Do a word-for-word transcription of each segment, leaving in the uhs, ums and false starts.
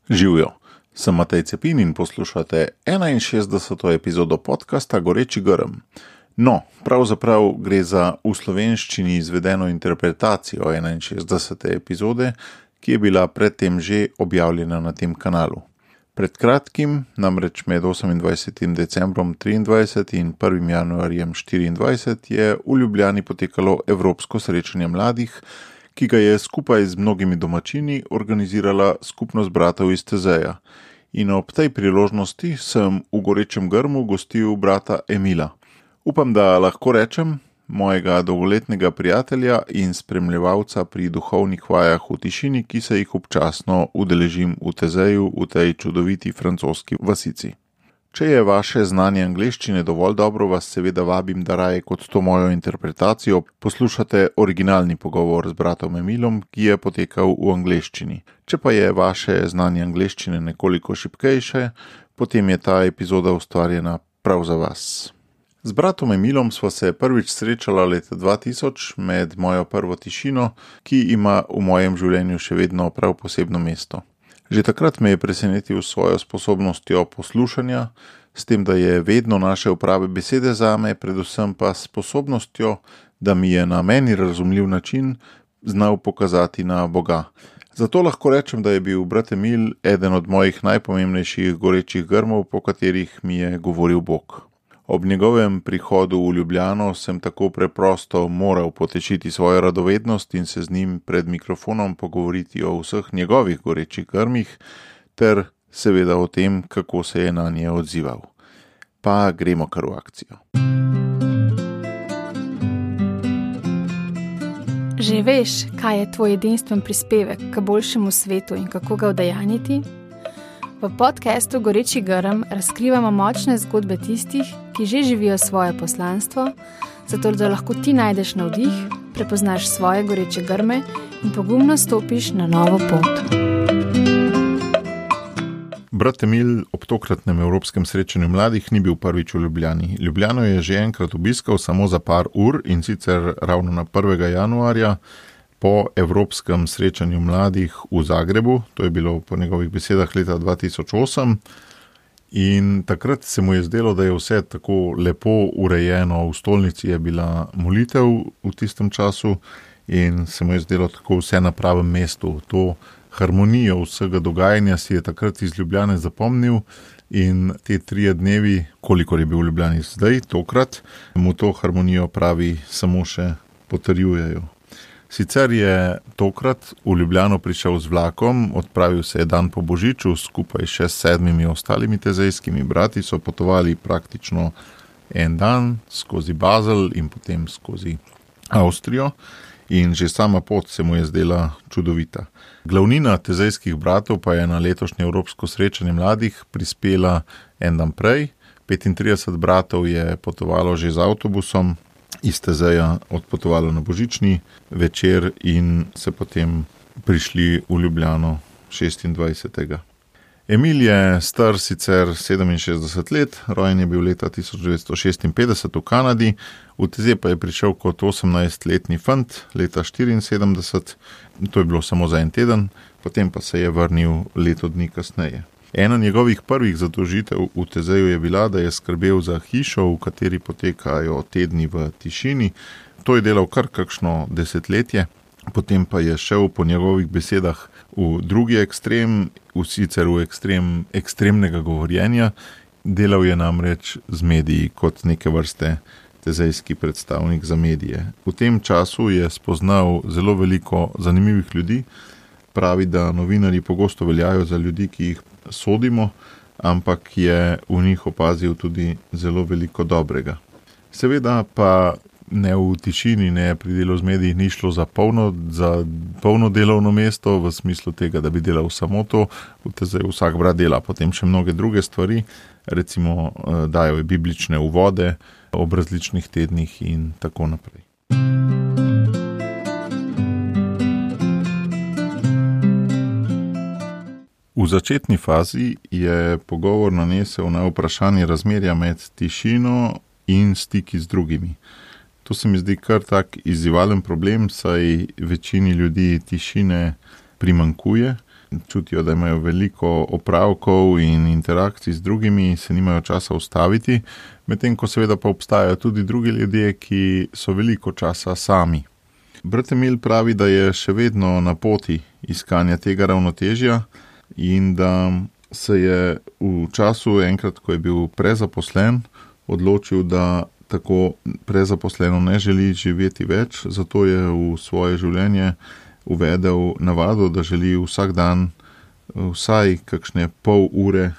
Živijo, sem Matej Cepin in poslušate enainšestdeseto epizodo podcasta Goreči grm. No, pravzaprav gre za v slovenščini izvedeno interpretacijo enainšestdesete epizode, ki je bila predtem že objavljena na tem kanalu. Pred kratkim, namreč med osemindvajsetim decembrom triindvajset in prvim januarjem štiriindvajset, je v Ljubljani potekalo Evropsko srečanje mladih, ki ga je skupaj z mnogimi domačini organizirala skupnost bratov iz Tezeja. In ob tej priložnosti sem v Gorečem grmu gostil brata Emila. Upam, da lahko rečem, mojega dolgoletnega prijatelja in spremljevalca pri duhovnih vajah v tišini, ki se jih občasno udeležim v Tezeju, v tej čudoviti francoski vasici. Če je vaše znanje angleščine dovolj dobro, vas seveda vabim, da raje kot to mojo interpretacijo poslušate originalni pogovor z bratom Emilom, ki je potekal v angleščini. Če pa je vaše znanje angleščine nekoliko šibkejše, potem je ta epizoda ustvarjena prav za vas. Z bratom Emilom sva se prvič srečala leta dva tisoč med mojo prvo tišino, ki ima v mojem življenju še vedno prav posebno mesto. Že takrat me je presenetil s svojo sposobnostjo poslušanja, s tem, da je vedno našel prave besede zame, predvsem pa s sposobnostjo, da mi je na meni razumljiv način znal pokazati na Boga. Zato lahko rečem, da je bil brat Emil eden od mojih najpomembnejših gorečih grmov, po katerih mi je govoril Bog. Ob njegovem prihodu v Ljubljano sem tako preprosto moral potešiti svojo radovednost in se z njim pred mikrofonom pogovoriti o vseh njegovih gorečih grmih, ter seveda o tem, kako se je na nje odzival. Pa gremo kar v akcijo. Že veš, kaj je tvoj edinstven prispevek k boljšemu svetu in kako ga udejanjiti? V podcastu Goreči grm razkrivamo močne zgodbe tistih, ki že živijo svoje poslanstvo, zato da lahko ti najdeš navdih, prepoznaš svoje goreče grme in pogumno stopiš na novo pot. Brat Emil ob tokratnem Evropskem srečanju mladih ni bil prvič v Ljubljani. Ljubljano je že enkrat obiskal samo za par ur, in sicer ravno na prvega januarja, po Evropskem srečanju mladih v Zagrebu, to je bilo po njegovih besedah leta dva tisoč osem, in takrat se mu je zdelo, da je vse tako lepo urejeno, v stolnici je bila molitev v tistem času in se mu je zdelo tako vse na pravem mestu. To harmonijo vsega dogajanja si je takrat iz Ljubljane zapomnil in te trije dnevi, kolikor je bil v Ljubljani zdaj, tokrat, mu to harmonijo pravi samo še potrjujejo. Sicer je tokrat v Ljubljano prišel z vlakom, odpravil se je dan po Božiču, skupaj še s sedmimi ostalimi tezejskimi brati so potovali praktično en dan skozi Basel in potem skozi Avstrijo in že sama pot se mu je zdela čudovita. Glavnina tezejskih bratov pa je na letošnje Evropsko srečanje mladih prispela en dan prej, petintrideset bratov je potovalo že z avtobusom, iz Tezeja odpotovalo na božični večer in se potem prišli v Ljubljano šestindvajsetega Emil je star sicer sedeminšestdeset let, rojen je bil leta tisoč devetsto šestinpetdeset v Kanadi, v Tezej pa je prišel kot osemnajstletni fant leta štiriinsedemdeset, to je bilo samo za en teden, potem pa se je vrnil leto dni kasneje. Ena njegovih prvih zadolžitev v Tezeju je bila, da je skrbel za hišo, v kateri potekajo tedni v tišini. To je delal kar kakšno desetletje, potem pa je šel po njegovih besedah v drugi ekstrem, v sicer v ekstrem ekstremnega govorjenja. Delal je namreč z mediji kot neke vrste tezejski predstavnik za medije. V tem času je spoznal zelo veliko zanimivih ljudi. Pravi, da novinarji pogosto veljajo za ljudi, ki jih sodimo, ampak je v njih opazil tudi zelo veliko dobrega. Seveda pa ne v tišini, ne pri delu z mediji ni šlo za polno, za polno delovno mesto, v smislu tega, da bi delal samo to. V Tezeju vsak brat dela potem še mnoge druge stvari, recimo dajo je biblične uvode ob različnih tednih in tako naprej. V začetni fazi je pogovor nanesel na vprašanje razmerja med tišino in stiki z drugimi. To se mi zdi kar tak izzivalen problem, saj večini ljudi tišine primanjkuje. čutijo, da imajo veliko opravkov in interakcij z drugimi, se nimajo časa ustaviti, medtem ko seveda pa obstajajo tudi drugi ljudje, ki so veliko časa sami. Brat Emil pravi, da je še vedno na poti iskanja tega ravnotežja in da se je v času, enkrat, ko je bil prezaposlen, odločil, da tako prezaposleno ne želi živeti več, zato je v svoje življenje uvedel navado, da želi vsak dan vsaj kakšne pol ure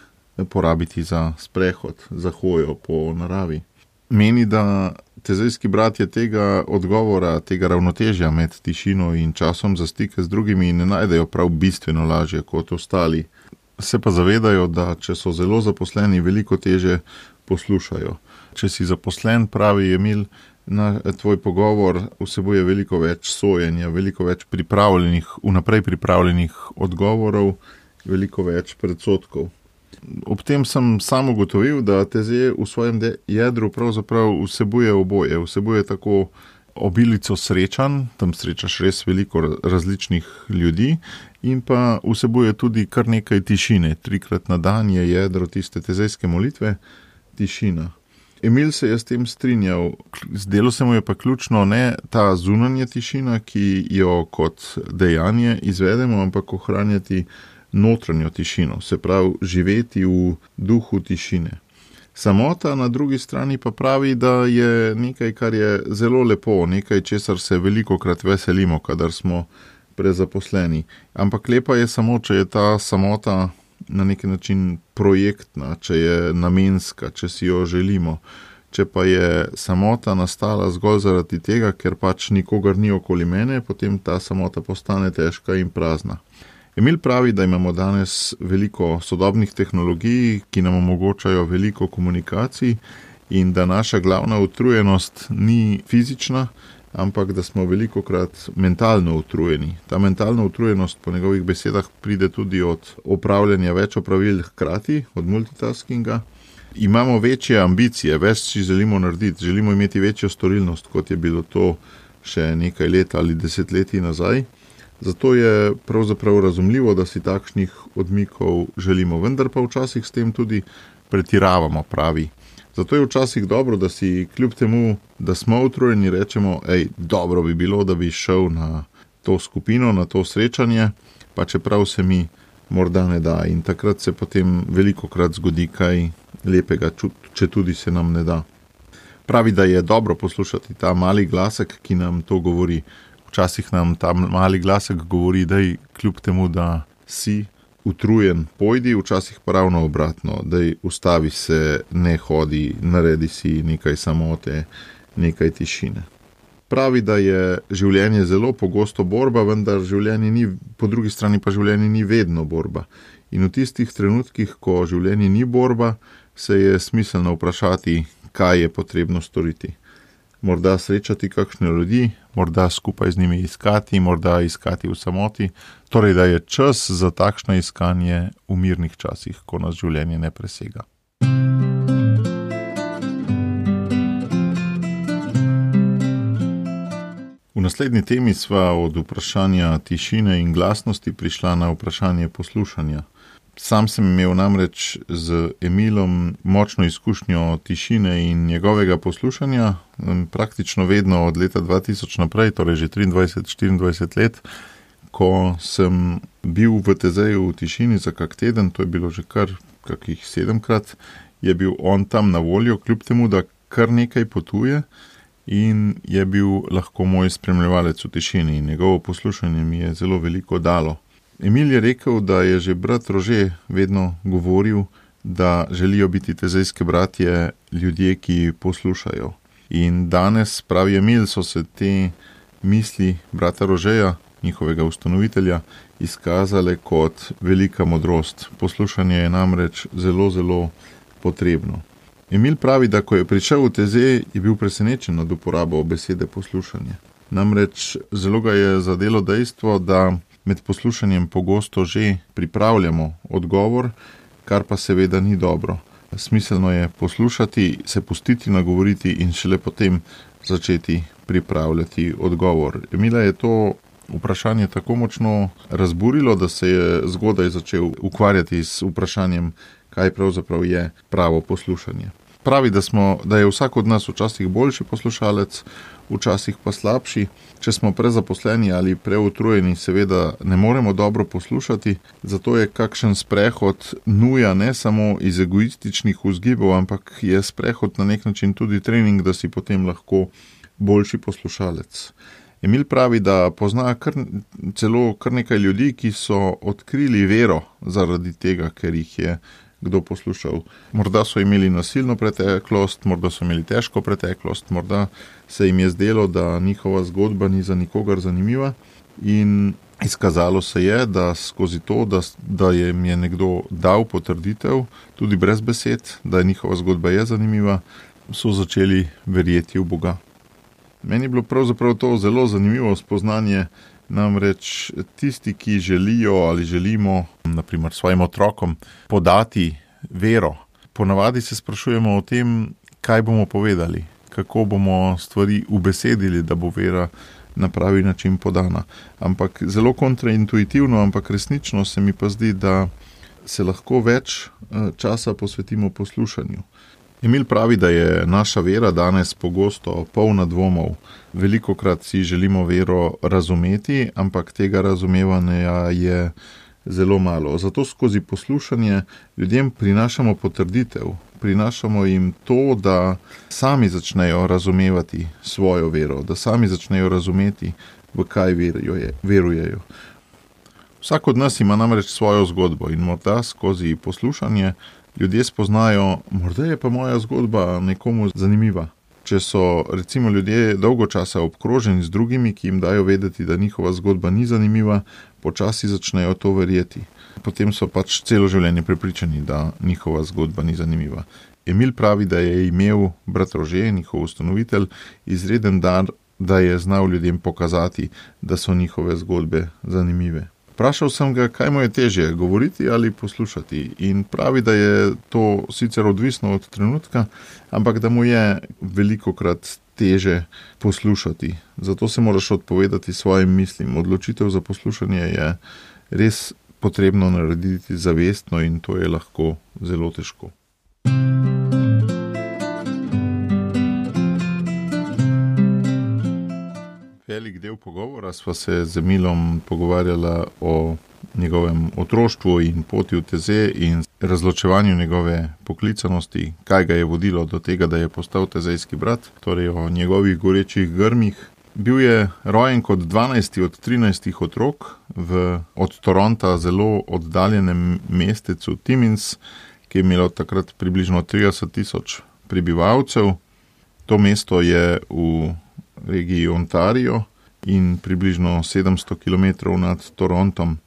porabiti za sprehod, za hojo po naravi. Meni, da tezejski bratje tega odgovora, tega ravnotežja med tišino in časom za stike z drugimi ne najdejo prav bistveno lažje kot ostali. Se pa zavedajo, da če so zelo zaposleni, veliko teže poslušajo. Če si zaposlen, pravi Emil, na tvoj pogovor vsebuje veliko več sojenja, veliko več pripravljenih, vnaprej pripravljenih odgovorov, veliko več predsodkov. Ob tem sem sam ugotovil, da teze v svojem jedru pravzaprav vsebuje oboje. Vsebuje tako obilico srečanj, tam srečaš res veliko različnih ljudi, in pa vsebuje tudi kar nekaj tišine. Trikrat na dan je jedro tiste tezejske molitve, tišina. Emil se je s tem strinjal, zdelo se mu je pa ključno ne ta zunanja tišina, ki jo kot dejanje izvedemo, ampak ohranjati notranjo tišino, se pravi živeti v duhu tišine. Samota na drugi strani pa pravi, da je nekaj, kar je zelo lepo, nekaj, česar se velikokrat veselimo, kadar smo prezaposleni. Ampak lepa je samo, če je ta samota na neki način projektna, če je namenska, če si jo želimo. Če pa je samota nastala zgolj zaradi tega, ker pač nikogar ni okoli mene, potem ta samota postane težka in prazna. Emil pravi, da imamo danes veliko sodobnih tehnologij, ki nam omogočajo veliko komunikacij in da naša glavna utrujenost ni fizična, ampak da smo velikokrat mentalno utrujeni. Ta mentalna utrujenost po njegovih besedah pride tudi od opravljanja več opravil hkrati, od multitaskinga. Imamo večje ambicije, več si želimo narediti, želimo imeti večjo storilnost, kot je bilo to še nekaj let ali desetletij nazaj. Zato je pravzaprav razumljivo, da si takšnih odmikov želimo, vendar pa včasih s tem tudi pretiravamo, pravi. Zato je včasih dobro, da si kljub temu, da smo utrujeni, rečemo, ej, dobro bi bilo, da bi šel na to skupino, na to srečanje, pa čeprav se mi morda ne da. In takrat se potem velikokrat zgodi kaj lepega, če tudi se nam ne da. Pravi, da je dobro poslušati ta mali glasek, ki nam to govori. Včasih nam ta mali glasek govori, daj kljub temu, da si utrujen, pojdi, včasih pa ravno obratno, daj ustavi se, ne hodi, naredi si nekaj samote, nekaj tišine. Pravi, da je življenje zelo pogosto borba, vendar življenje ni, po drugi strani pa življenje ni vedno borba. In v tistih trenutkih, ko življenje ni borba, se je smiselno vprašati, kaj je potrebno storiti. Morda srečati kakšne ljudi, morda skupaj z njimi iskati, morda iskati v samoti, torej da je čas za takšno iskanje v mirnih časih, ko nas življenje ne presega. V naslednji temi sva od vprašanja tišine in glasnosti prišla na vprašanje poslušanja. Sam sem imel namreč z Emilom močno izkušnjo tišine in njegovega poslušanja, praktično vedno od leta dva tisoč naprej, torej že triindvajset štiriindvajset let, ko sem bil v Tezeju v tišini za kak teden, to je bilo že kar kakih sedemkrat, je bil on tam na voljo, kljub temu, da kar nekaj potuje in je bil lahko moj spremljevalec v tišini in njegovo poslušanje mi je zelo veliko dalo. Emil je rekel, da je že brat Rože vedno govoril, da želijo biti tezejske bratje ljudje, ki poslušajo. In danes, pravi Emil, so se te misli brata Rožeja, njihovega ustanovitelja, izkazale kot velika modrost. Poslušanje je namreč zelo, zelo potrebno. Emil pravi, da ko je prišel v Teze, je bil presenečen nad uporabo besede poslušanje. Namreč zelo ga je zadelo dejstvo, da med poslušanjem pogosto že pripravljamo odgovor, kar pa seveda ni dobro. Smiselno je poslušati, se pustiti nagovoriti in šele potem začeti pripravljati odgovor. Emila je to vprašanje tako močno razburilo, da se je zgodaj začel ukvarjati s vprašanjem, kaj pravzaprav je pravo poslušanje. Pravi, da, smo, da je vsak od nas včasih boljši poslušalec, včasih pa slabši. Če smo prezaposleni ali preutrujeni, seveda ne moremo dobro poslušati, zato je kakšen sprehod nuja ne samo iz egoističnih vzgibov, ampak je sprehod na nek način tudi trening, da si potem lahko boljši poslušalec. Emil pravi, da pozna kar, celo kar nekaj ljudi, ki so odkrili vero zaradi tega, ker jih je kdo poslušal. Morda so imeli nasilno preteklost, morda so imeli težko preteklost, morda se jim je zdelo, da njihova zgodba ni za nikogar zanimiva in izkazalo se je, da skozi to, da, da jim je nekdo dal potrditev, tudi brez besed, da je njihova zgodba je zanimiva, so začeli verjeti v Boga. Meni je bilo pravzaprav to zelo zanimivo spoznanje, namreč tisti, ki želijo ali želimo, naprimer svojim otrokom, podati vero. Ponavadi se sprašujemo o tem, kaj bomo povedali, kako bomo stvari ubesedili, da bo vera na pravi način podana. Ampak zelo kontraintuitivno, ampak resnično se mi pa zdi, da se lahko več časa posvetimo poslušanju. Emil pravi, da je naša vera danes pogosto polna dvomov. Velikokrat si želimo vero razumeti, ampak tega razumevanja je zelo malo. Zato skozi poslušanje ljudem prinašamo potrditev, prinašamo jim to, da sami začnejo razumevati svojo vero, da sami začnejo razumeti, v kaj verujejo. Vsak od nas ima namreč svojo zgodbo in morda skozi poslušanje ljudje spoznajo, morda je pa moja zgodba nekomu zanimiva. Če so recimo ljudje dolgo časa obkroženi z drugimi, ki jim dajo vedeti, da njihova zgodba ni zanimiva, počasi začnejo to verjeti. Potem so pač celo življenje prepričani, da njihova zgodba ni zanimiva. Emil pravi, da je imel brat Rože, njihov ustanovitelj, izreden dar, da je znal ljudem pokazati, da so njihove zgodbe zanimive. Vprašal sem ga, kaj mu je težje, govoriti ali poslušati, in pravi, da je to sicer odvisno od trenutka, ampak da mu je velikokrat teže poslušati. Zato se moraš odpovedati svojim mislim. Odločitev za poslušanje je res potrebno narediti zavestno in to je lahko zelo težko. Velik del pogovora sva se z Emilom pogovarjala o njegovem otroštvu in poti v Teze in razločevanju njegove poklicanosti, kaj ga je vodilo do tega, da je postal tezejski brat, torej o njegovih gorečih grmih. Bil je rojen kot dvanajsti od trinajstih otrok v od Toronta zelo oddaljenem mestecu Timmins, ki je imelo takrat približno trideset tisoč prebivalcev. To mesto je v regiji Ontario in približno sedemsto kilometrov nad Torontom.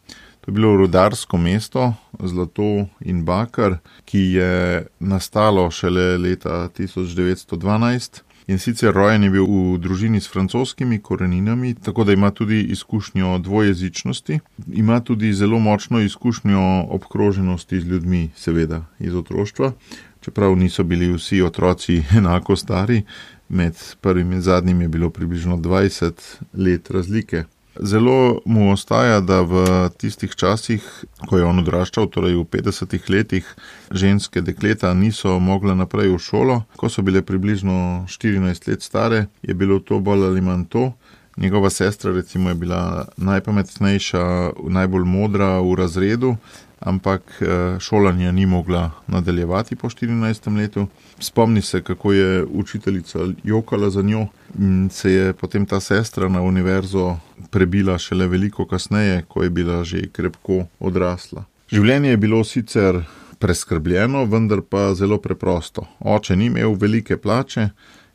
To je bilo rudarsko mesto, zlato in bakar, ki je nastalo šele leta tisoč devetsto dvanajst in sicer rojen je bil v družini s francoskimi koreninami, tako da ima tudi izkušnjo dvojezičnosti, ima tudi zelo močno izkušnjo obkroženosti z ljudmi, seveda iz otroštva, čeprav niso bili vsi otroci enako stari. Med prvim in zadnjim je bilo približno dvajset let razlike. Zelo mu ostaja, da v tistih časih, ko je on odraščal, torej v petdesetih letih, ženske dekleta niso mogla naprej v šolo. Ko so bile približno štirinajst let stare, je bilo to bolj ali manj to. Njegova sestra recimo je bila najpametnejša, najbolj modra v razredu, ampak šolanja ni mogla nadaljevati po štirinajstem letu. Spomni se, kako je učiteljica jokala za njo in se je potem ta sestra na univerzo prebila šele veliko kasneje, ko je bila že krepko odrasla. Življenje je bilo sicer preskrbljeno, vendar pa zelo preprosto. Oče ni imel velike plače,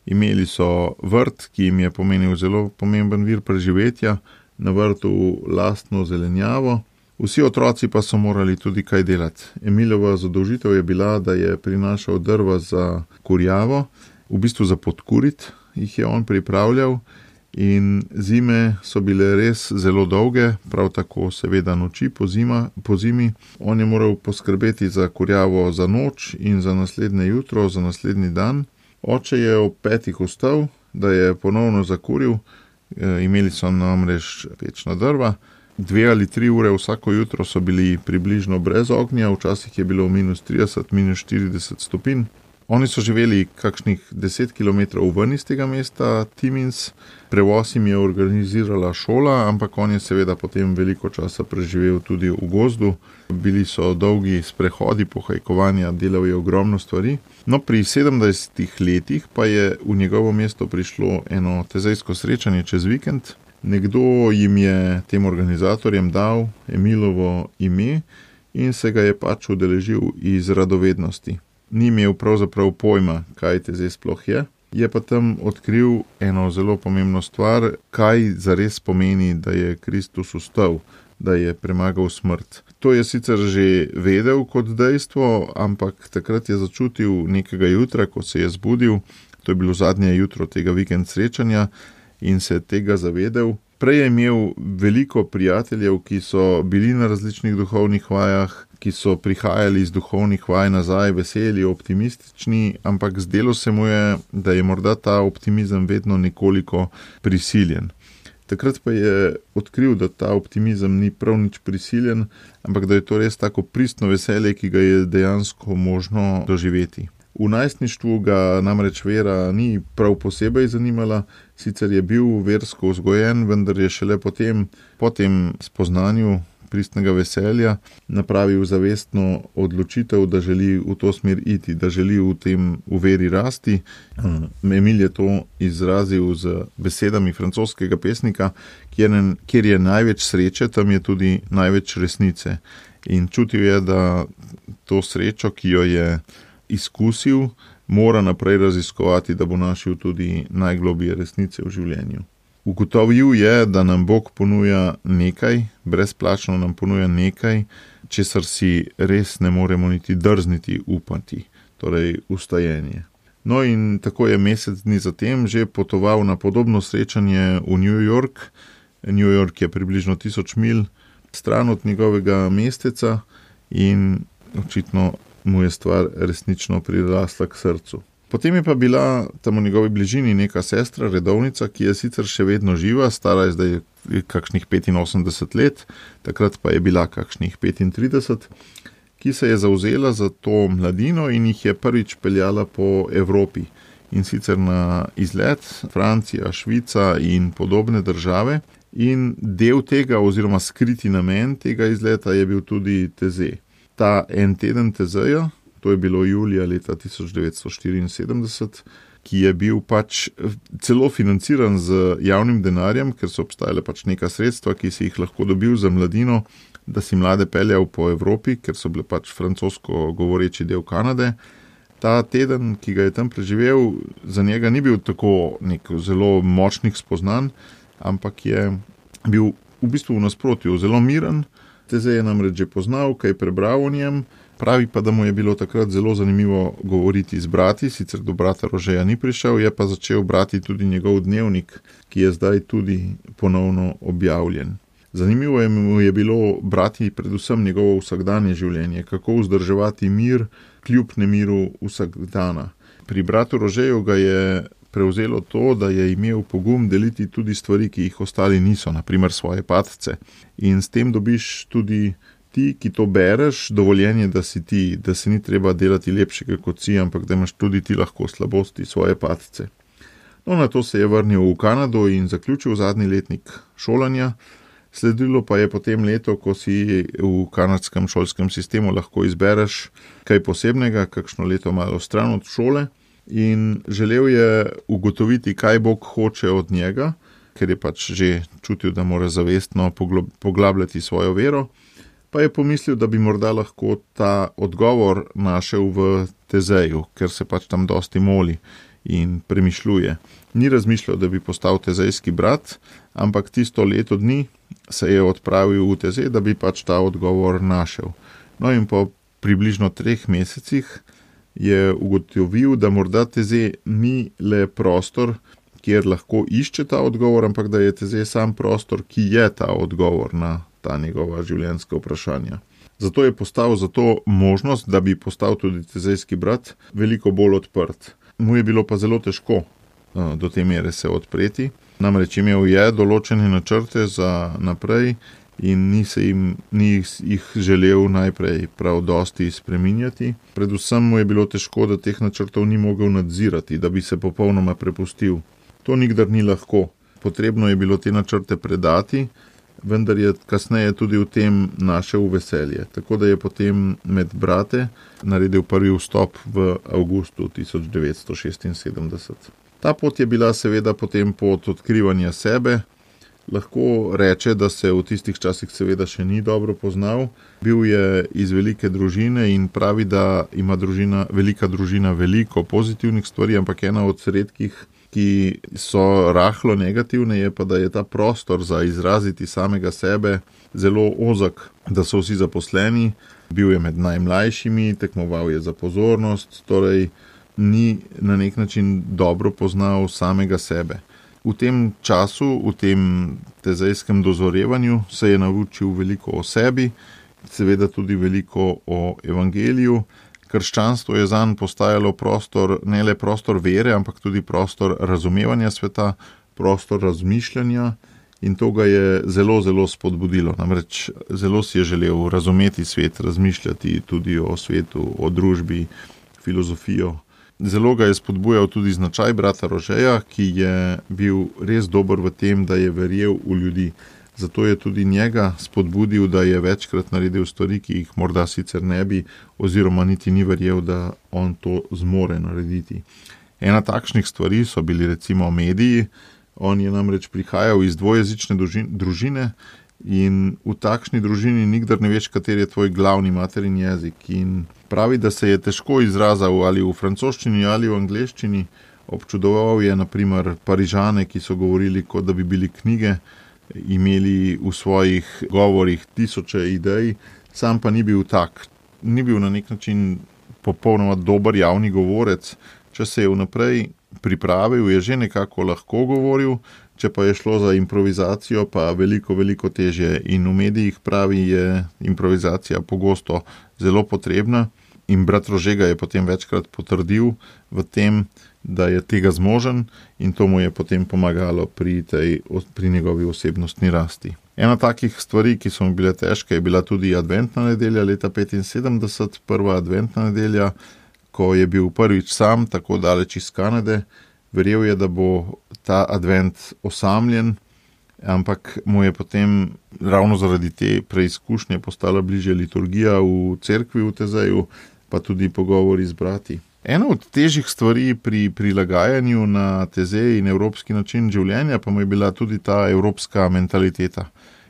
imeli so vrt, ki jim je pomenil zelo pomemben vir preživetja, na vrtu lastno zelenjavo. Vsi otroci pa so morali tudi kaj delati. Emilova zadolžitev je bila, da je prinašal drva za kurjavo, v bistvu za podkurit jih je on pripravljal in zime so bile res zelo dolge, prav tako seveda noči po, zima, po zimi. On je moral poskrbeti za kurjavo za noč in za naslednje jutro, za naslednji dan. Oče je ob petih vstal, da je ponovno zakuril Imeli so namreč pečna drva. Dve ali tri ure vsako jutro so bili približno brez ognja, včasih je bilo minus trideset, minus štirideset stopinj. Oni so živeli kakšnih deset kilometrov ven iz tega mesta Timmins. Prevoz jim je organizirala šola, ampak on je seveda potem veliko časa preživel tudi v gozdu. Bili so dolgi sprehodi, pohajkovanja, delal je ogromno stvari. No, pri sedemdesetih letih pa je v njegovo mesto prišlo eno tezejsko srečanje čez vikend. Nekdo jim je, tem organizatorjem, dal Emilovo ime in se ga je pač udeležil iz radovednosti. Ni imel pravzaprav pojma, kaj tezej sploh je. Je pa tam odkril eno zelo pomembno stvar, kaj zares pomeni, da je Kristus vstal, da je premagal smrt. To je sicer že vedel kot dejstvo, ampak takrat je začutil nekega jutra, ko se je zbudil, to je bilo zadnje jutro tega vikend srečanja, in se je tega zavedel. Prej je imel veliko prijateljev, ki so bili na različnih duhovnih vajah, ki so prihajali iz duhovnih vaj nazaj, veseli, optimistični, ampak zdelo se mu je, da je morda ta optimizem vedno nekoliko prisiljen. Takrat pa je odkril, da ta optimizem ni prav nič prisiljen, ampak da je to res tako pristno veselje, ki ga je dejansko možno doživeti. V najstništvu ga namreč vera ni prav posebej zanimala, sicer je bil versko vzgojen, vendar je šele potem, po tem spoznanju pristnega veselja, napravil zavestno odločitev, da želi v to smer iti, da želi v tem v veri rasti. Emil je to izrazil z besedami francoskega pesnika, kjer, kjer je največ sreče, tam je tudi največ resnice. In čutil je, da to srečo, ki jo je izkusil, mora naprej raziskovati, da bo našel tudi najglobije resnice v življenju. Ugotovil je, da nam Bog ponuja nekaj, brezplačno nam ponuja nekaj, česar si res ne moremo niti drzniti upati, torej vstajenje. No in tako je mesec dni zatem že potoval na podobno srečanje v New York. New York je približno tisoč milj stran od njegovega mesteca in očitno mu je stvar resnično prirasla k srcu. Potem je pa bila tam v njegovi bližini neka sestra, redovnica, ki je sicer še vedno živa, stara je zdaj kakšnih petinosemdeset let, takrat pa je bila kakšnih petintrideset, ki se je zavzela za to mladino in jih je prvič peljala po Evropi. In sicer na izlet Francija, Švica in podobne države. In del tega oziroma skriti namen tega izleta je bil tudi Tezej. Ta en teden Tezeja, to je bilo julija leta tisoč devetsto štiriinsedemdeset, ki je bil pač celo financiran z javnim denarjem, ker so obstajale pač neka sredstva, ki si jih lahko dobil za mladino, da si mlade peljal po Evropi, ker so bile pač francosko govoreči del Kanade. Ta teden, ki ga je tam preživel, za njega ni bil tako nek zelo močnih spoznanj, ampak je bil v bistvu v nasprotju zelo miren. Tezej je namreč že poznal, kaj prebral o njem, pravi pa, da mu je bilo takrat zelo zanimivo govoriti z brati, sicer do brata Rožeja ni prišel, je pa začel brati tudi njegov dnevnik, ki je zdaj tudi ponovno objavljen. Zanimivo je mu je bilo brati predvsem njegovo vsakdanje življenje, kako vzdrževati mir kljub nemiru vsakdana. Pri bratu Rožeju ga je prevzelo to, da je imel pogum deliti tudi stvari, ki jih ostali niso, na primer svoje padce. In s tem dobiš tudi ti, ki to bereš, dovoljenje, da si ti, da se ni treba delati lepšega kot si, ampak da imaš tudi ti lahko slabosti, svoje padce. No, na to se je vrnil v Kanado in zaključil zadnji letnik šolanja. Sledilo pa je potem leto, ko si v kanadskem šolskem sistemu lahko izbereš kaj posebnega, kakšno leto malo stran od šole. In želel je ugotoviti, kaj Bog hoče od njega, ker je pač že čutil, da mora zavestno poglabljati svojo vero, pa je pomislil, da bi morda lahko ta odgovor našel v Tezeju, ker se pač tam dosti moli in premišljuje. Ni razmišljal, da bi postal tezejski brat, ampak tisto leto dni se je odpravil v Tezej, da bi pač ta odgovor našel. No in po približno treh mesecih je ugotovil, da morda Tezej ni le prostor, kjer lahko išče ta odgovor, ampak da je Tezej sam prostor, ki je ta odgovor na ta njegova življenjska vprašanja. Zato je postal za to možnost, da bi postal tudi tezejski brat, veliko bolj odprt. Mu je bilo pa zelo težko do te mere se odpreti. Namreč imel je določene načrte za naprej in ni, se jim, ni jih želel najprej prav dosti spreminjati. Predvsem mu je bilo težko, da teh načrtov ni mogel nadzirati, da bi se popolnoma prepustil. To nikdar ni lahko. Potrebno je bilo te načrte predati, vendar je kasneje tudi v tem našel veselje. Tako da je potem med brate naredil prvi vstop v avgustu tisoč devetsto šestinsedemdeset. Ta pot je bila seveda potem pot odkrivanja sebe. Lahko reče, da se v tistih časih seveda še ni dobro poznal. Bil je iz velike družine in pravi, da ima družina, velika družina veliko pozitivnih stvari, ampak ena od redkih, ki so rahlo negativne, je pa, da je ta prostor za izraziti samega sebe zelo ozak, da so vsi zaposleni, bil je med najmlajšimi, tekmoval je za pozornost, torej ni na nek način dobro poznal samega sebe. V tem času, v tem tezejskem dozorevanju se je naučil veliko o sebi, seveda tudi veliko o evangeliju. Krščanstvo je zanj postajalo prostor, ne le prostor vere, ampak tudi prostor razumevanja sveta, prostor razmišljanja in to ga je zelo, zelo spodbudilo. Namreč zelo si je želel razumeti svet, razmišljati tudi o svetu, o družbi, filozofijo. Zelo ga je spodbujal tudi značaj brata Rožeja, ki je bil res dober v tem, da je verjel v ljudi. Zato je tudi njega spodbudil, da je večkrat naredil stvari, ki jih morda sicer ne bi, oziroma niti ni verjel, da on to zmore narediti. Ena takšnih stvari so bili recimo mediji. On je namreč prihajal iz dvojezične družine in v takšni družini nikdar ne veš, kateri je tvoj glavni materin jezik. In pravi, da se je težko izrazil ali v francoščini ali v angleščini. Občudoval je na primer Parižane, ki so govorili, kot da bi bili knjige, imeli v svojih govorih tisoče idej, sam pa ni bil tak. Ni bil na nek način popolnoma dober javni govorec. Če se je vnaprej pripravil, je že nekako lahko govoril, če pa je šlo za improvizacijo, pa veliko, veliko težje. In v medijih pravi, je improvizacija pogosto zelo potrebna in brat Rože ga je potem večkrat potrdil v tem, da je tega zmožen in to mu je potem pomagalo pri, tej, pri njegovi osebnostni rasti. Ena takih stvari, ki so mu bile težke, je bila tudi adventna nedelja leta petinsedemdeset, prva adventna nedelja, ko je bil prvič sam, tako daleč iz Kanade. Verjel je, da bo ta advent osamljen, ampak mu je potem ravno zaradi te preizkušnje postala bližje liturgija v cerkvi v Tezeju, pa tudi pogovori z brati. Ena od težjih stvari pri prilagajanju na Tezej in evropski način življenja pa mu je bila tudi ta evropska mentaliteta.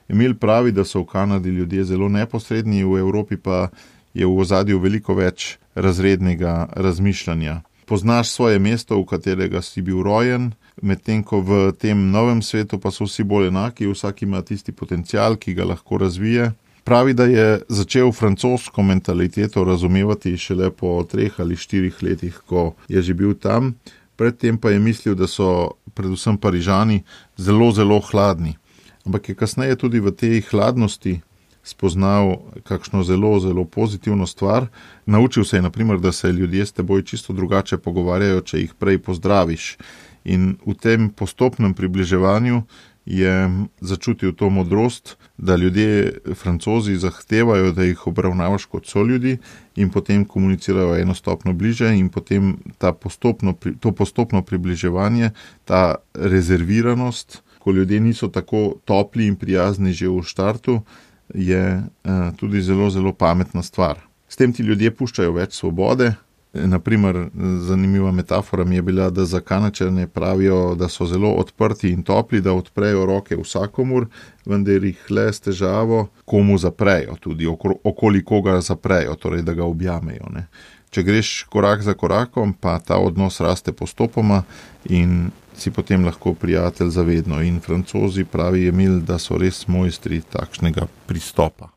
Emil pravi, da so v Kanadi ljudje zelo neposredni, v Evropi pa je v ozadju veliko več razrednega razmišljanja. Poznaš svoje mesto, v katerega si bil rojen, medtem ko v tem novem svetu pa so vsi bolj enaki, vsak ima tisti potencial, ki ga lahko razvije. Pravi, da je začel francosko mentaliteto razumevati šele po treh ali štirih letih, ko je že bil tam. Predtem pa je mislil, da so predvsem Parižani zelo, zelo hladni. Ampak je kasneje tudi v tej hladnosti spoznal kakšno zelo, zelo pozitivno stvar. Naučil se je, na primer, da se ljudje s teboj čisto drugače pogovarjajo, če jih prej pozdraviš. In v tem postopnem približevanju je začutil to modrost, da ljudje, Francozi, zahtevajo, da jih obravnavaš kot soljudi in potem komunicirajo eno stopno bliže in potem ta postopno, to postopno približevanje, ta rezerviranost, ko ljudje niso tako topli in prijazni že v štartu, je eh, tudi zelo, zelo pametna stvar. S tem ti ljudje puščajo več svobode. Naprimer, zanimiva metafora mi je bila, da za Kanačane pravijo, da so zelo odprti in topli, da odprejo roke vsakomur, vendar jih le s težavo komu zaprejo, tudi okoli koga zaprejo, torej da ga objamejo. Ne. Če greš korak za korakom, pa ta odnos raste postopoma in si potem lahko prijatelj zavedno. In Francozi, pravi Emil, da so res mojstri takšnega pristopa.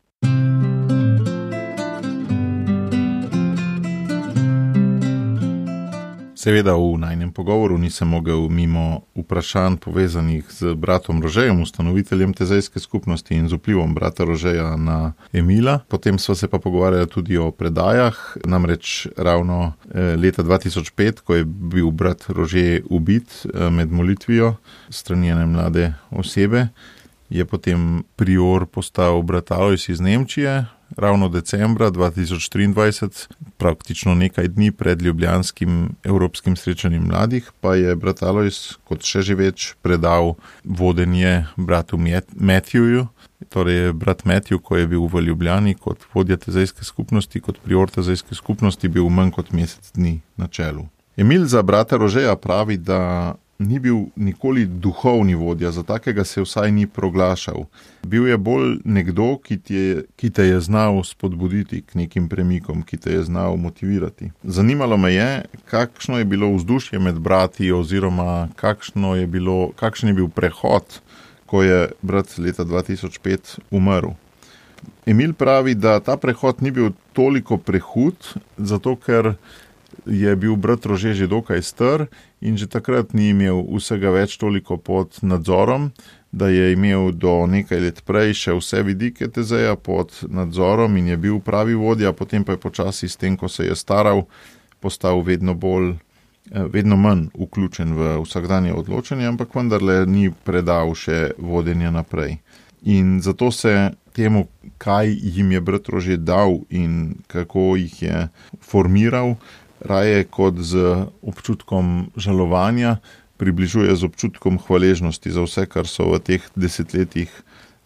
Seveda v najnem pogovoru nisem mogel mimo vprašanj povezanih z bratom Rožejem, ustanoviteljem tezejske skupnosti in z vplivom brata Rožeja na Emila. Potem sva se pa pogovarjala tudi o predajah, namreč ravno leta dva tisoč pet, ko je bil brat Rože ubit med molitvijo strani ene mlade osebe, je potem prior postal brat Alojz iz Nemčije. Ravno decembra dva tisoč triindvajset, praktično nekaj dni pred ljubljanskim evropskim srečanjem mladih, pa je brat Alojz kot še živeč predal vodenje bratu Matthewju. Torej brat Matthew, ko je bil v Ljubljani kot vodja tezejske skupnosti, kot prior tezejske skupnosti, bil manj kot mesec dni na čelu. Emil za brata Rožeja pravi, da ni bil nikoli duhovni vodja, za takega se vsaj ni proglašal. Bil je bolj nekdo, ki, je, ki te je znal spodbuditi k nekim premikom, ki te je znal motivirati. Zanimalo me je, kakšno je bilo vzdušje med brati oziroma kakšno je bilo, kakšen je bil prehod, ko je brat leta dva tisoč pet umrl. Emil pravi, da ta prehod ni bil toliko prehud, zato ker je bil brat Rože že dokaj star in že takrat ni imel vsega več toliko pod nadzorom, da je imel do nekaj let prej še vse vidike tezeja pod nadzorom in je bil pravi vodja, potem pa je počasi s tem, ko se je staral, postal vedno bolj, vedno manj vključen v vsakdanje odločanje, ampak vendarle ni predal še vodenja naprej. In zato se temu, kaj jim je brat Rože dal in kako jih je formiral, raje kot z občutkom žalovanja, približuje z občutkom hvaležnosti za vse, kar so v teh desetletjih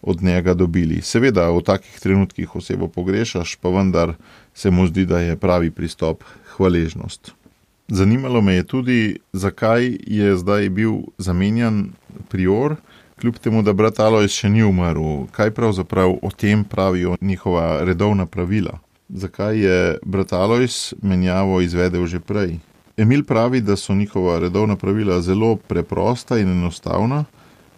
od njega dobili. Seveda v takih trenutkih osebo pogrešaš, pa vendar se mu zdi, da je pravi pristop hvaležnost. Zanimalo me je tudi, zakaj je zdaj bil zamenjan prior, kljub temu, da brat Alojz še ni umrl. Kaj pravzaprav o tem pravijo njihova redovna pravila? Zakaj je brat Alojz menjavo izvedel že prej? Emil pravi, da so njihova redovna pravila zelo preprosta in enostavna,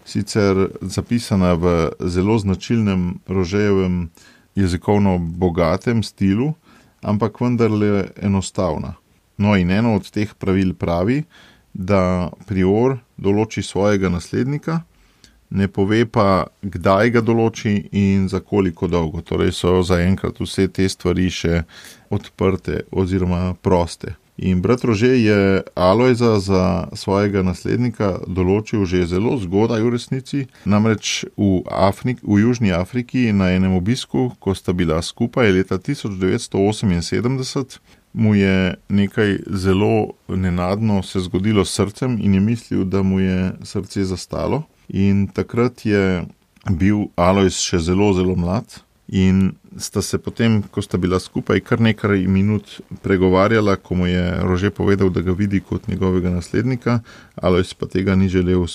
sicer zapisana v zelo značilnem Rožejevem jezikovno bogatem stilu, ampak vendarle enostavna. No in eno od teh pravil pravi, da prior določi svojega naslednika, ne pove pa, kdaj ga določi in za koliko dolgo. Torej so zaenkrat vse te stvari še odprte oziroma proste. In brat Rože je Alojza za svojega naslednika določil že zelo zgodaj v resnici, namreč v, Afrik, v Južni Afriki na enem obisku, ko sta bila skupaj leta tisoč devetsto oseminsedemdeset, mu je nekaj zelo nenadno se zgodilo s srcem in je mislil, da mu je srce zastalo. In takrat je bil Alojz še zelo, zelo mlad in sta se potem, ko sta bila skupaj, kar nekaj minut pregovarjala, ko mu je Rože povedal, da ga vidi kot njegovega naslednika, Alojz pa tega ni želel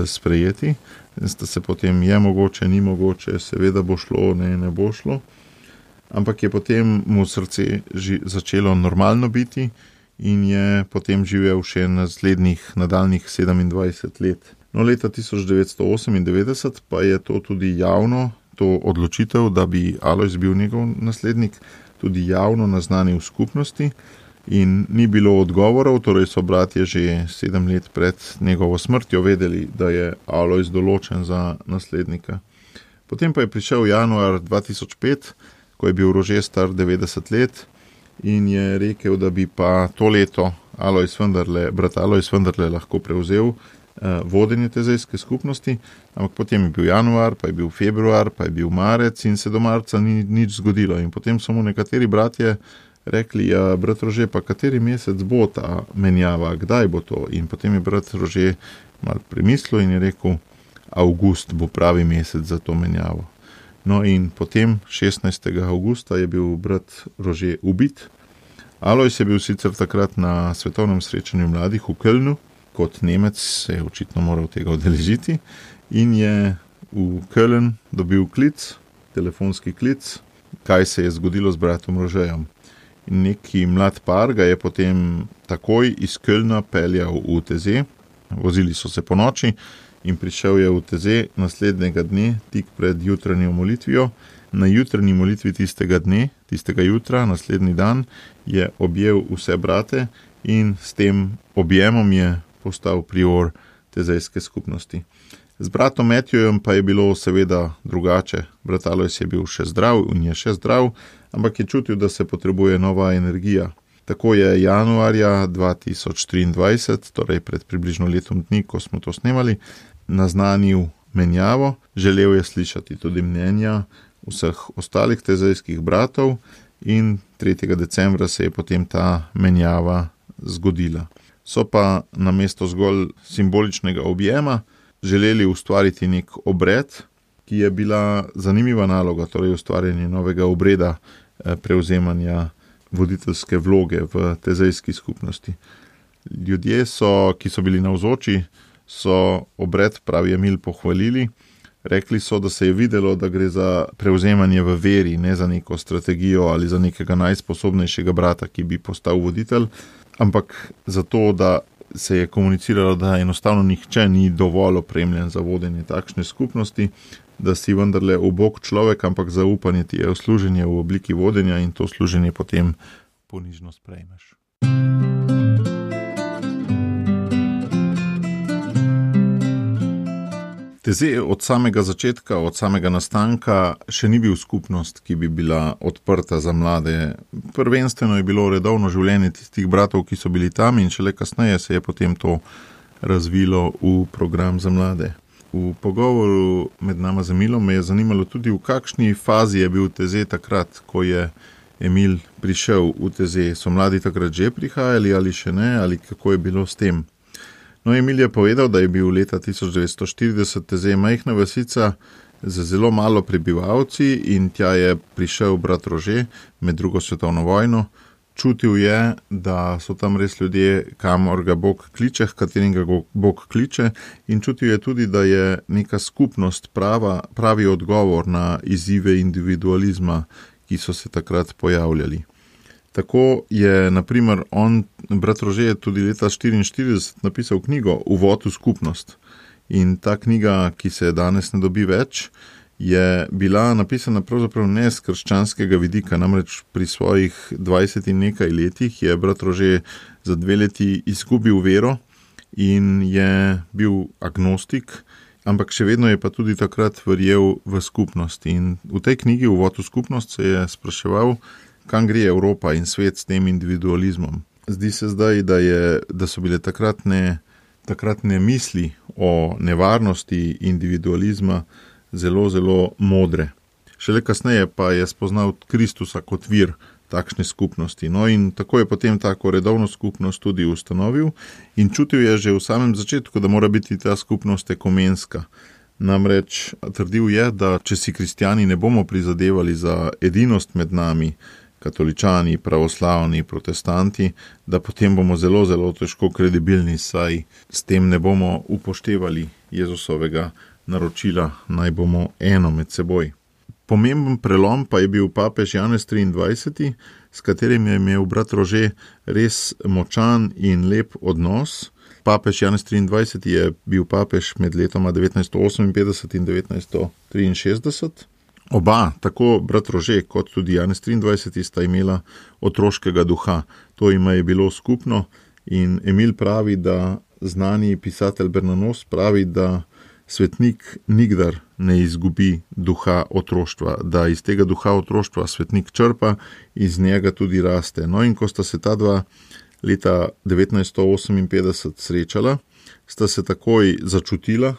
sprejeti. In sta se potem, je mogoče, ni mogoče, seveda bo šlo, ne, ne bo šlo. Ampak je potem mu srce začelo normalno biti in je potem živel še naslednjih nadaljnjih sedemindvajset let. No, leta tisoč devetsto osemindevetdeset pa je to tudi javno, to odločitev, da bi Alojz bil njegov naslednik, tudi javno naznanil v skupnosti in ni bilo odgovorov, torej so bratje že sedem let pred njegovo smrtjo vedeli, da je Alojz določen za naslednika. Potem pa je prišel januar dva tisoč pet, ko je bil Rože star devetdeset let in je rekel, da bi pa to leto Alojz vendarle, brat Alojz vendarle lahko prevzel vodenje tezejske skupnosti, ampak potem je bil januar, pa je bil februar, pa je bil marec in se do marca ni nič zgodilo. In potem so mu nekateri bratje rekli, ja, brat Rože, pa kateri mesec bo ta menjava, kdaj bo to? In potem je brat Rože malo premislil in je rekel, avgust bo pravi mesec za to menjavo. No in potem šestnajstega avgusta je bil brat Rože ubit. Alojz je bil sicer takrat na svetovnem srečanju mladih v Kölnu, kot Nemec se je očitno moral tega udeležiti in je v Köln dobil klic, telefonski klic, kaj se je zgodilo z bratom Rožejem. In neki mlad par ga je potem takoj iz Kölna peljal v Teze, vozili so se po noči in prišel je v Teze naslednjega dne, tik pred jutranjo molitvijo. Na jutranji molitvi tistega dne, tistega jutra, naslednji dan, je objel vse brate in s tem objemom je postal prior tezejske skupnosti. Z bratom Matthewjem pa je bilo seveda drugače. Brat Alojz je bil še zdrav in je še zdrav, ampak je čutil, da se potrebuje nova energija. Tako je januarja dva tisoč triindvajset, torej pred približno letom dni, ko smo to snemali, naznanil menjavo. Želel je slišati tudi mnenja vseh ostalih tezejskih bratov in tretjega decembra se je potem ta menjava zgodila. So pa namesto zgolj simboličnega objema želeli ustvariti nek obred, ki je bila zanimiva naloga, torej ustvarjanje novega obreda prevzemanja voditeljske vloge v tezejski skupnosti. Ljudje, so, ki so bili navzoči, so obred, pravi Emil, pohvalili. Rekli so, da se je videlo, da gre za prevzemanje v veri, ne za neko strategijo ali za nekega najsposobnejšega brata, ki bi postal voditelj, ampak zato, da se je komuniciralo, da enostavno nihče ni dovolj opremljen za vodenje takšne skupnosti, da si vendarle ubog človek, ampak zaupanje ti je v služenje v obliki vodenja in to služenje potem ponižno sprejmeš. Teze od samega začetka, od samega nastanka še ni bil skupnost, ki bi bila odprta za mlade. Prvenstveno je bilo redovno življenje tistih bratov, ki so bili tam in šele kasneje se je potem to razvilo v program za mlade. V pogovoru med nama z Emilom me je zanimalo tudi, v kakšni fazi je bil Teze takrat, ko je Emil prišel v Teze. So mladi takrat že prihajali ali še ne, ali kako je bilo s tem? No, Emil je povedal, da je bil leta tisoč devetsto štirideset Teze majhna vasica z zelo malo prebivalci in tja je prišel brat Rože med drugo svetovno vojno. Čutil je, da so tam res ljudje, kamor ga Bog kliče, katerim ga Bog kliče, in čutil je tudi, da je neka skupnost prava, pravi odgovor na izzive individualizma, ki so se takrat pojavljali. Tako je, na primer, on, brat Rože, tudi leta štiriinštirideset napisal knjigo Uvod v skupnost. In ta knjiga, ki se danes ne dobi več, je bila napisana pravzaprav ne z krščanskega vidika, namreč pri svojih dvajset in nekaj letih je brat Rože za dve leti izgubil vero in je bil agnostik, ampak še vedno je pa tudi takrat verjel v skupnost. In v tej knjigi Uvod v skupnost se je spraševal, kam gre Evropa in svet s tem individualizmom. Zdi se zdaj, da, je, da so bile takratne, takratne misli o nevarnosti individualizma zelo, zelo modre. Šele kasneje pa je spoznal Kristusa kot vir takšne skupnosti. No in tako je potem tako redovno skupnost tudi ustanovil in čutil je že v samem začetku, da mora biti ta skupnost ekumenska. Namreč trdil je, da če si kristjani ne bomo prizadevali za edinost med nami, katoličani, pravoslavni, protestanti, da potem bomo zelo, zelo težko kredibilni, saj s tem ne bomo upoštevali Jezusovega naročila, naj bomo eno med seboj. Pomemben prelom pa je bil papež Janez triindvajseti, s katerim je imel brat Rože res močan in lep odnos. Papež Janez triindvajseti je bil papež med letoma devetnajststo oseminpetdeset in devetnajststo triinšestdeset. Oba, tako brat Rože kot tudi Janez triindvajseti, sta imela otroškega duha. To jima je bilo skupno in Emil pravi, da znani pisatelj Bernanos pravi, da svetnik nikdar ne izgubi duha otroštva, da iz tega duha otroštva svetnik črpa, iz njega tudi raste. No in ko sta se ta dva leta devetnajststo oseminpetdeset srečala, sta se takoj začutila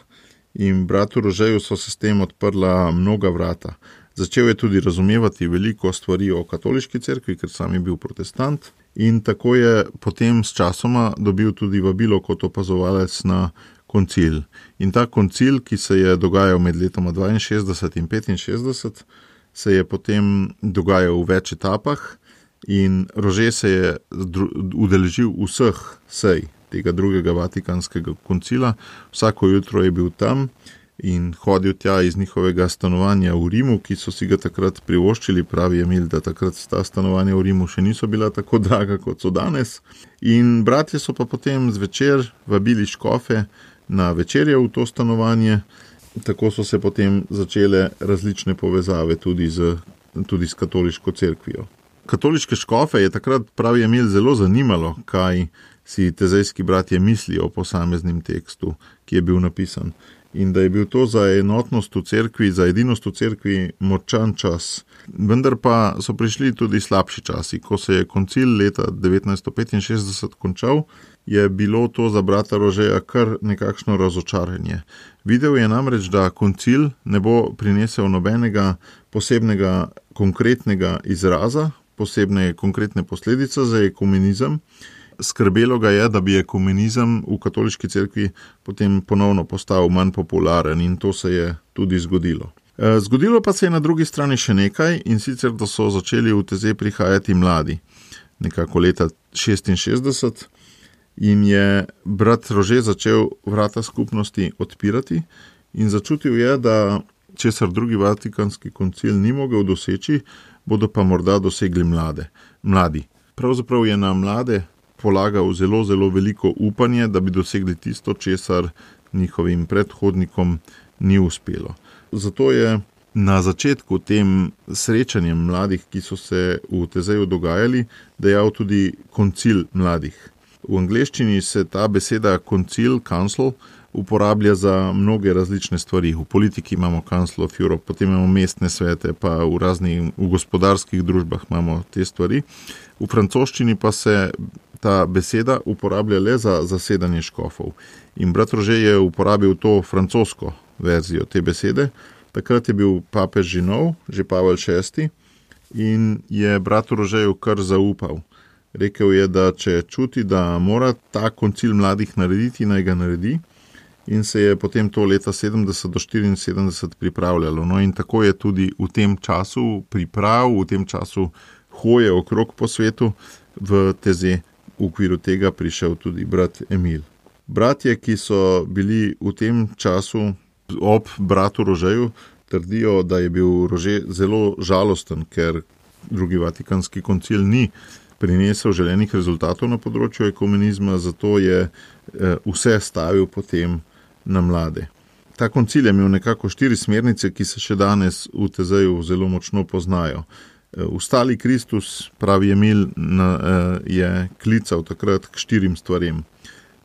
in bratu Rožeju so se s tem odprla mnoga vrata. Začel je tudi razumevati veliko stvari o katoliški cerkvi, ker sam je bil protestant, in tako je potem s časoma dobil tudi vabilo kot opazovalec na koncil. In ta koncil, ki se je dogajal med letoma dvainšestdeset in petinšestdeset, se je potem dogajal v več etapah in Rože se je udeležil vseh sej tega drugega vatikanskega koncila. Vsako jutro je bil tam in hodil tja iz njihovega stanovanja v Rimu, ki so si ga takrat privoščili. Pravi Emil, da takrat ta stanovanja v Rimu še niso bila tako draga, kot so danes. In bratje so pa potem zvečer vabili škofe na večerjo v to stanovanje. Tako so se potem začele različne povezave tudi z, tudi s katoliško cerkvijo. Katoliške škofe je takrat, pravi Emil, zelo zanimalo, kaj si tezejski bratje mislijo o posameznim tekstu, ki je bil napisan. In da je bil to za enotnost v cerkvi, za edinost v cerkvi močan čas. Vendar pa so prišli tudi slabši časi. Ko se je koncil leta devetnajststo petinšestdeset končal, je bilo to za brata Rožeja kar nekakšno razočaranje. Videl je namreč, da koncil ne bo prinesel nobenega posebnega konkretnega izraza, posebne konkretne posledice za ekumenizem. Skrbelo ga je, da bi ekumenizem v katoliški cerkvi potem ponovno postal manj popularen in to se je tudi zgodilo. Zgodilo pa se je na drugi strani še nekaj, in sicer, da so začeli v Tezej prihajati mladi. Nekako leta šestinšestdeset in je brat Rože začel vrata skupnosti odpirati in začutil je, da česar drugi vatikanski koncil ni mogel doseči, bodo pa morda dosegli mlade, mladi. Pravzaprav je na mlade polagal zelo, zelo veliko upanje, da bi dosegli tisto, česar njihovim predhodnikom ni uspelo. Zato je na začetku tem srečanjem mladih, ki so se v Tezeju dogajali, dejal tudi koncil mladih. V angleščini se ta beseda koncil, council, uporablja za mnoge različne stvari. V politiki imamo Council of Europe, potem imamo mestne svete, pa v raznih, v gospodarskih družbah imamo te stvari. V francoščini pa se ta beseda uporablja le za zasedanje škofov. In brat Rože je uporabil to francosko verzijo te besede. Takrat je bil papež že nov, že Pavel šesti, in je bratu Rožeju kar zaupal. Rekel je, da če čuti, da mora ta koncil mladih narediti, naj ga naredi, in se je potem to leta sedemdeset do štiriinsedemdeset pripravljalo. No in tako je tudi v tem času priprav, v tem času hoje okrog po svetu v Teze, v okviru tega prišel tudi brat Emil. Bratje, ki so bili v tem času ob bratu Rožeju, trdijo, da je bil Rože zelo žalosten, ker drugi vatikanski koncil ni prinesel želenih rezultatov na področju ekumenizma, zato je vse stavil potem na mlade. Ta koncil je imel nekako štiri smernice, ki se še danes v Tezeju zelo močno poznajo. Ustali Kristus, pravi Emil, je klical takrat k štirim stvarem.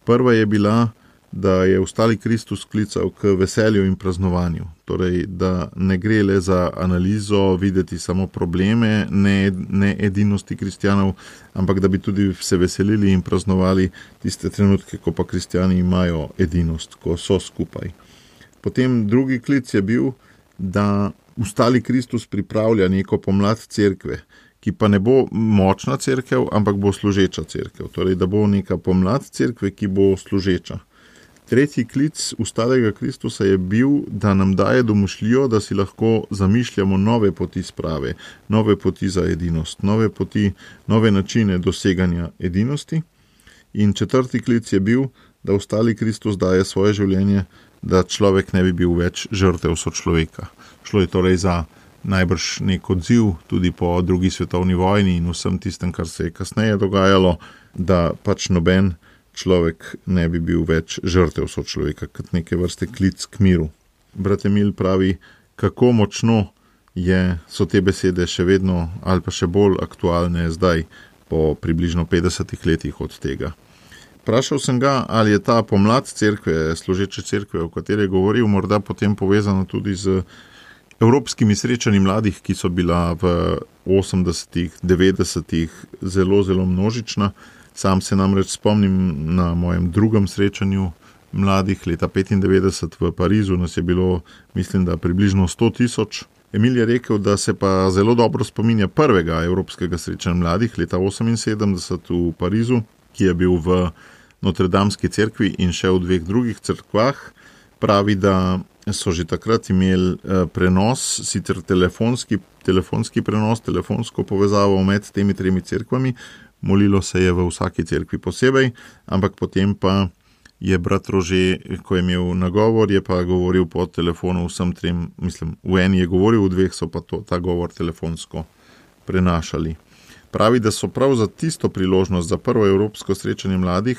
Prva je bila, da je ustali Kristus klical k veselju in praznovanju. Torej, da ne gre le za analizo, videti samo probleme, ne, ne edinosti kristjanov, ampak da bi tudi se veselili in praznovali tiste trenutke, ko pa kristjani imajo edinost, ko so skupaj. Potem drugi klic je bil, da ustali Kristus pripravlja neko pomlad cerkve, ki pa ne bo močna cerkev, ampak bo služeča cerkev. Torej, da bo neka pomlad cerkve, ki bo služeča. Tretji klic ustalega Kristusa je bil, da nam daje domišljijo, da si lahko zamišljamo nove poti sprave, nove poti za edinost, nove poti, nove načine doseganja edinosti. In četrti klic je bil, da ustali Kristus daje svoje življenje, da človek ne bi bil več žrtev sočloveka. Šlo je torej za najbrž nek odziv tudi po drugi svetovni vojni in vsem tistem, kar se je kasneje dogajalo, da pač noben človek ne bi bil več žrtev sočloveka, kot neke vrste klic k miru. Brat Emil pravi, kako močno je, so te besede še vedno ali pa še bolj aktualne zdaj, po približno petdesetih letih od tega. Vprašal sem ga, ali je ta pomlad cerkve, služeče cerkve, o kateri je govoril, morda potem povezana tudi z evropskimi srečanji mladih, ki so bila v osemdesetih, devetdesetih zelo, zelo množična. Sam se namreč spomnim na mojem drugem srečanju mladih leta petindevetdeset v Parizu, nas je bilo, mislim, da približno sto tisoč. Emil je rekel, da se pa zelo dobro spominja prvega evropskega srečanja mladih leta oseminsedemdeset v Parizu, ki je bil v Notredamski cerkvi in še v dveh drugih cerkvah. Pravi, da so že takrat imeli prenos, sicer telefonski, telefonski prenos, telefonsko povezavo med temi tremi cerkvami. Molilo se je v vsaki cerkvi posebej, ampak potem pa je brat Rože, ko je imel nagovor, je pa govoril po telefonu vsem trem, mislim, v eni je govoril, v dveh so pa to, ta govor telefonsko prenašali. Pravi, da so prav za tisto priložnost, za prvo evropsko srečanje mladih,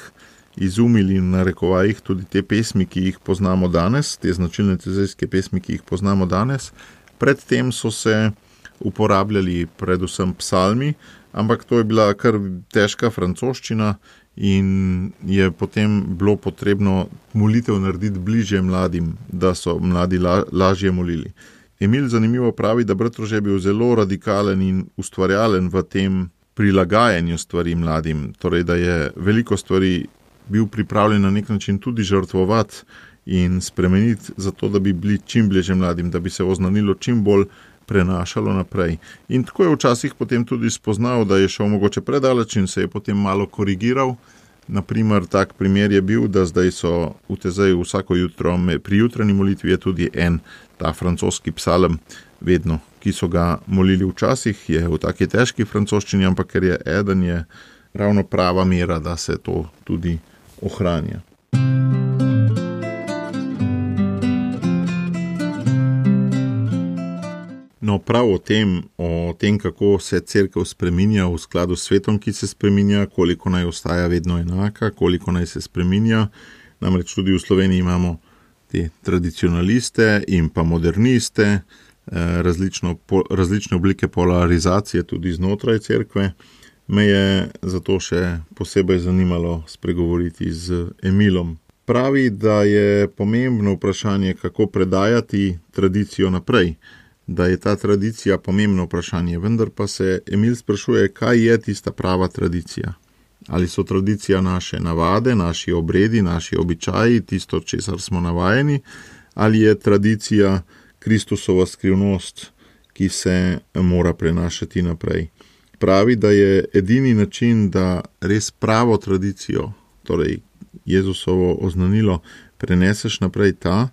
izumili in narekovajih tudi te pesmi, ki jih poznamo danes, te značilne tezejske pesmi, ki jih poznamo danes. Predtem so se uporabljali predvsem psalmi, ampak to je bila kar težka francoščina in je potem bilo potrebno molitev narediti bližje mladim, da so mladi la, lažje molili. Emil zanimivo pravi, da Bratrož je bil zelo radikalen in ustvarjalen v tem prilagajanju stvari mladim, torej da je veliko stvari bil pripravljen na nek način tudi žrtvovati in spremeniti zato, da bi bili čim bližje mladim, da bi se oznanilo čim bolj prenašalo naprej. In tako je včasih potem tudi spoznal, da je šel mogoče predaleč in se je potem malo korigiral. Naprimer, tak primer je bil, da zdaj so v Tezeju vsako jutro, pri jutranji molitvi je tudi en ta francoski psalem vedno, ki so ga molili včasih, je v taki težki francoščini, ampak ker je eden, je ravno prava mera, da se to tudi ohranja. No, prav o tem, o tem, kako se cerkev spreminja v skladu s svetom, ki se spreminja, koliko naj ostaja vedno enaka, koliko naj se spreminja. Namreč tudi v Sloveniji imamo te tradicionaliste in pa moderniste, različno, različne oblike polarizacije tudi znotraj cerkve. Me je zato še posebej zanimalo spregovoriti z Emilom. Pravi, da je pomembno vprašanje, kako predajati tradicijo naprej, da je ta tradicija pomembno vprašanje, vendar pa se Emil sprašuje, kaj je tista prava tradicija. Ali so tradicija naše navade, naši obredi, naši običaji, tisto, česar smo navajeni, ali je tradicija Kristusova skrivnost, ki se mora prenašati naprej. Pravi, da je edini način, da res pravo tradicijo, torej Jezusovo oznanilo, preneseš naprej ta,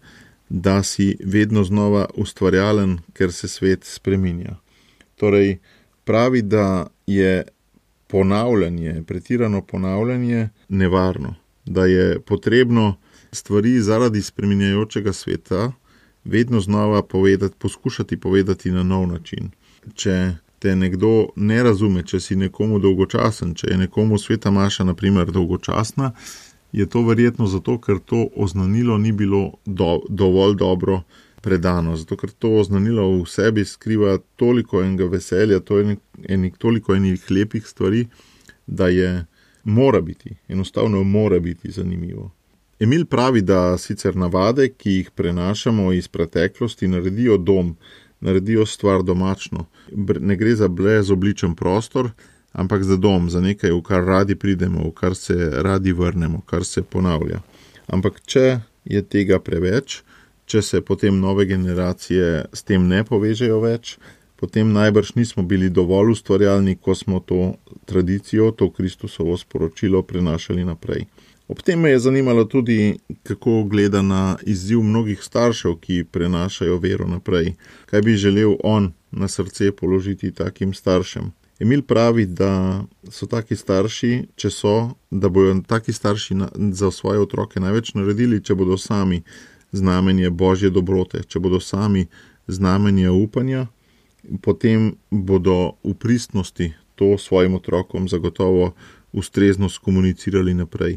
da si vedno znova ustvarjalen, ker se svet spreminja. Torej, pravi, da je ponavljanje, pretirano ponavljanje nevarno, da je potrebno stvari zaradi spreminjajočega sveta vedno znova povedati, poskušati povedati na nov način. Če te nekdo ne razume, če si nekomu dolgočasen, če je nekomu sveta maša, na primer, dolgočasna, je to verjetno zato, ker to oznanilo ni bilo do, dovolj dobro predano, zato ker to oznanilo v sebi skriva toliko enega veselja, to je enik, toliko enih lepih stvari, da je mora biti, enostavno mora biti zanimivo. Emil pravi, da sicer navade, ki jih prenašamo iz preteklosti, naredijo dom, naredijo stvar domačno. Ne gre za brezobličen prostor, ampak za dom, za nekaj, v kar radi pridemo, v kar se radi vrnemo, kar se ponavlja. Ampak če je tega preveč, če se potem nove generacije s tem ne povežejo več, potem najbrž nismo bili dovolj ustvarjalni, ko smo to tradicijo, to Kristusovo sporočilo prenašali naprej. Ob tem me je zanimalo tudi, kako gleda na izziv mnogih staršev, ki prenašajo vero naprej. Kaj bi želel on na srce položiti takim staršem? Emil pravi, da so taki starši, če so, da bojo taki starši na, za svoje otroke največ naredili, če bodo sami znamenje Božje dobrote, če bodo sami znamenje upanja, potem bodo v pristnosti to svojim otrokom zagotovo ustrezno skomunicirali naprej.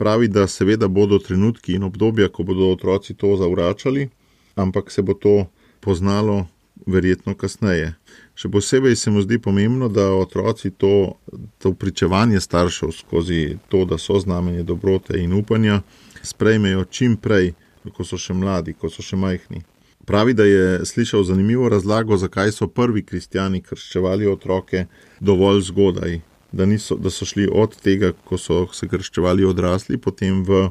Pravi, da seveda bodo trenutki in obdobja, ko bodo otroci to zavračali, ampak se bo to poznalo verjetno kasneje. Še posebej se mu zdi pomembno, da otroci to, to pričevanje staršev skozi to, da so znamenje dobrote in upanja, sprejmejo čim prej, ko so še mladi, ko so še majhni. Pravi, da je slišal zanimivo razlago, zakaj so prvi kristjani krščevali otroke dovolj zgodaj, da, niso, da so šli od tega, ko so se krščevali odrasli, potem v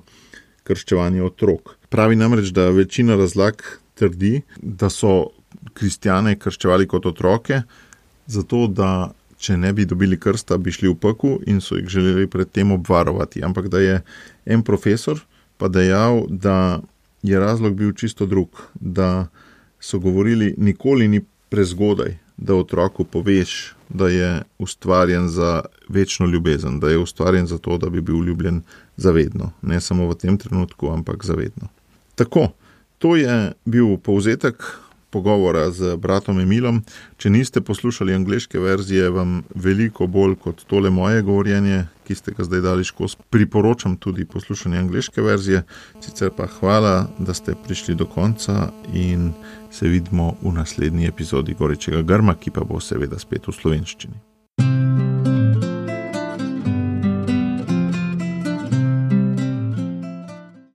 krščevanje otrok. Pravi namreč, da večina razlag trdi, da so kristjane krščevali kot otroke, zato da če ne bi dobili krsta, bi šli v pekel in so jih želeli pred tem obvarovati. Ampak da je en profesor pa dejal, da je razlog bil čisto drug, da so govorili, nikoli ni prezgodaj, da otroku poveš, da je ustvarjen za večno ljubezen, da je ustvarjen za to, da bi bil ljubljen zavedno. Ne samo v tem trenutku, ampak zavedno. Tako, to je bil povzetek pogovora z bratom Emilom. Če niste poslušali angleške verzije, vam veliko bolj kot tole moje govorjenje, ki ste ga zdaj dali skozi, priporočam tudi poslušanje angleške verzije. Sicer pa hvala, da ste prišli do konca in se vidimo v naslednji epizodi Gorečega grma, ki pa bo seveda spet v slovenščini.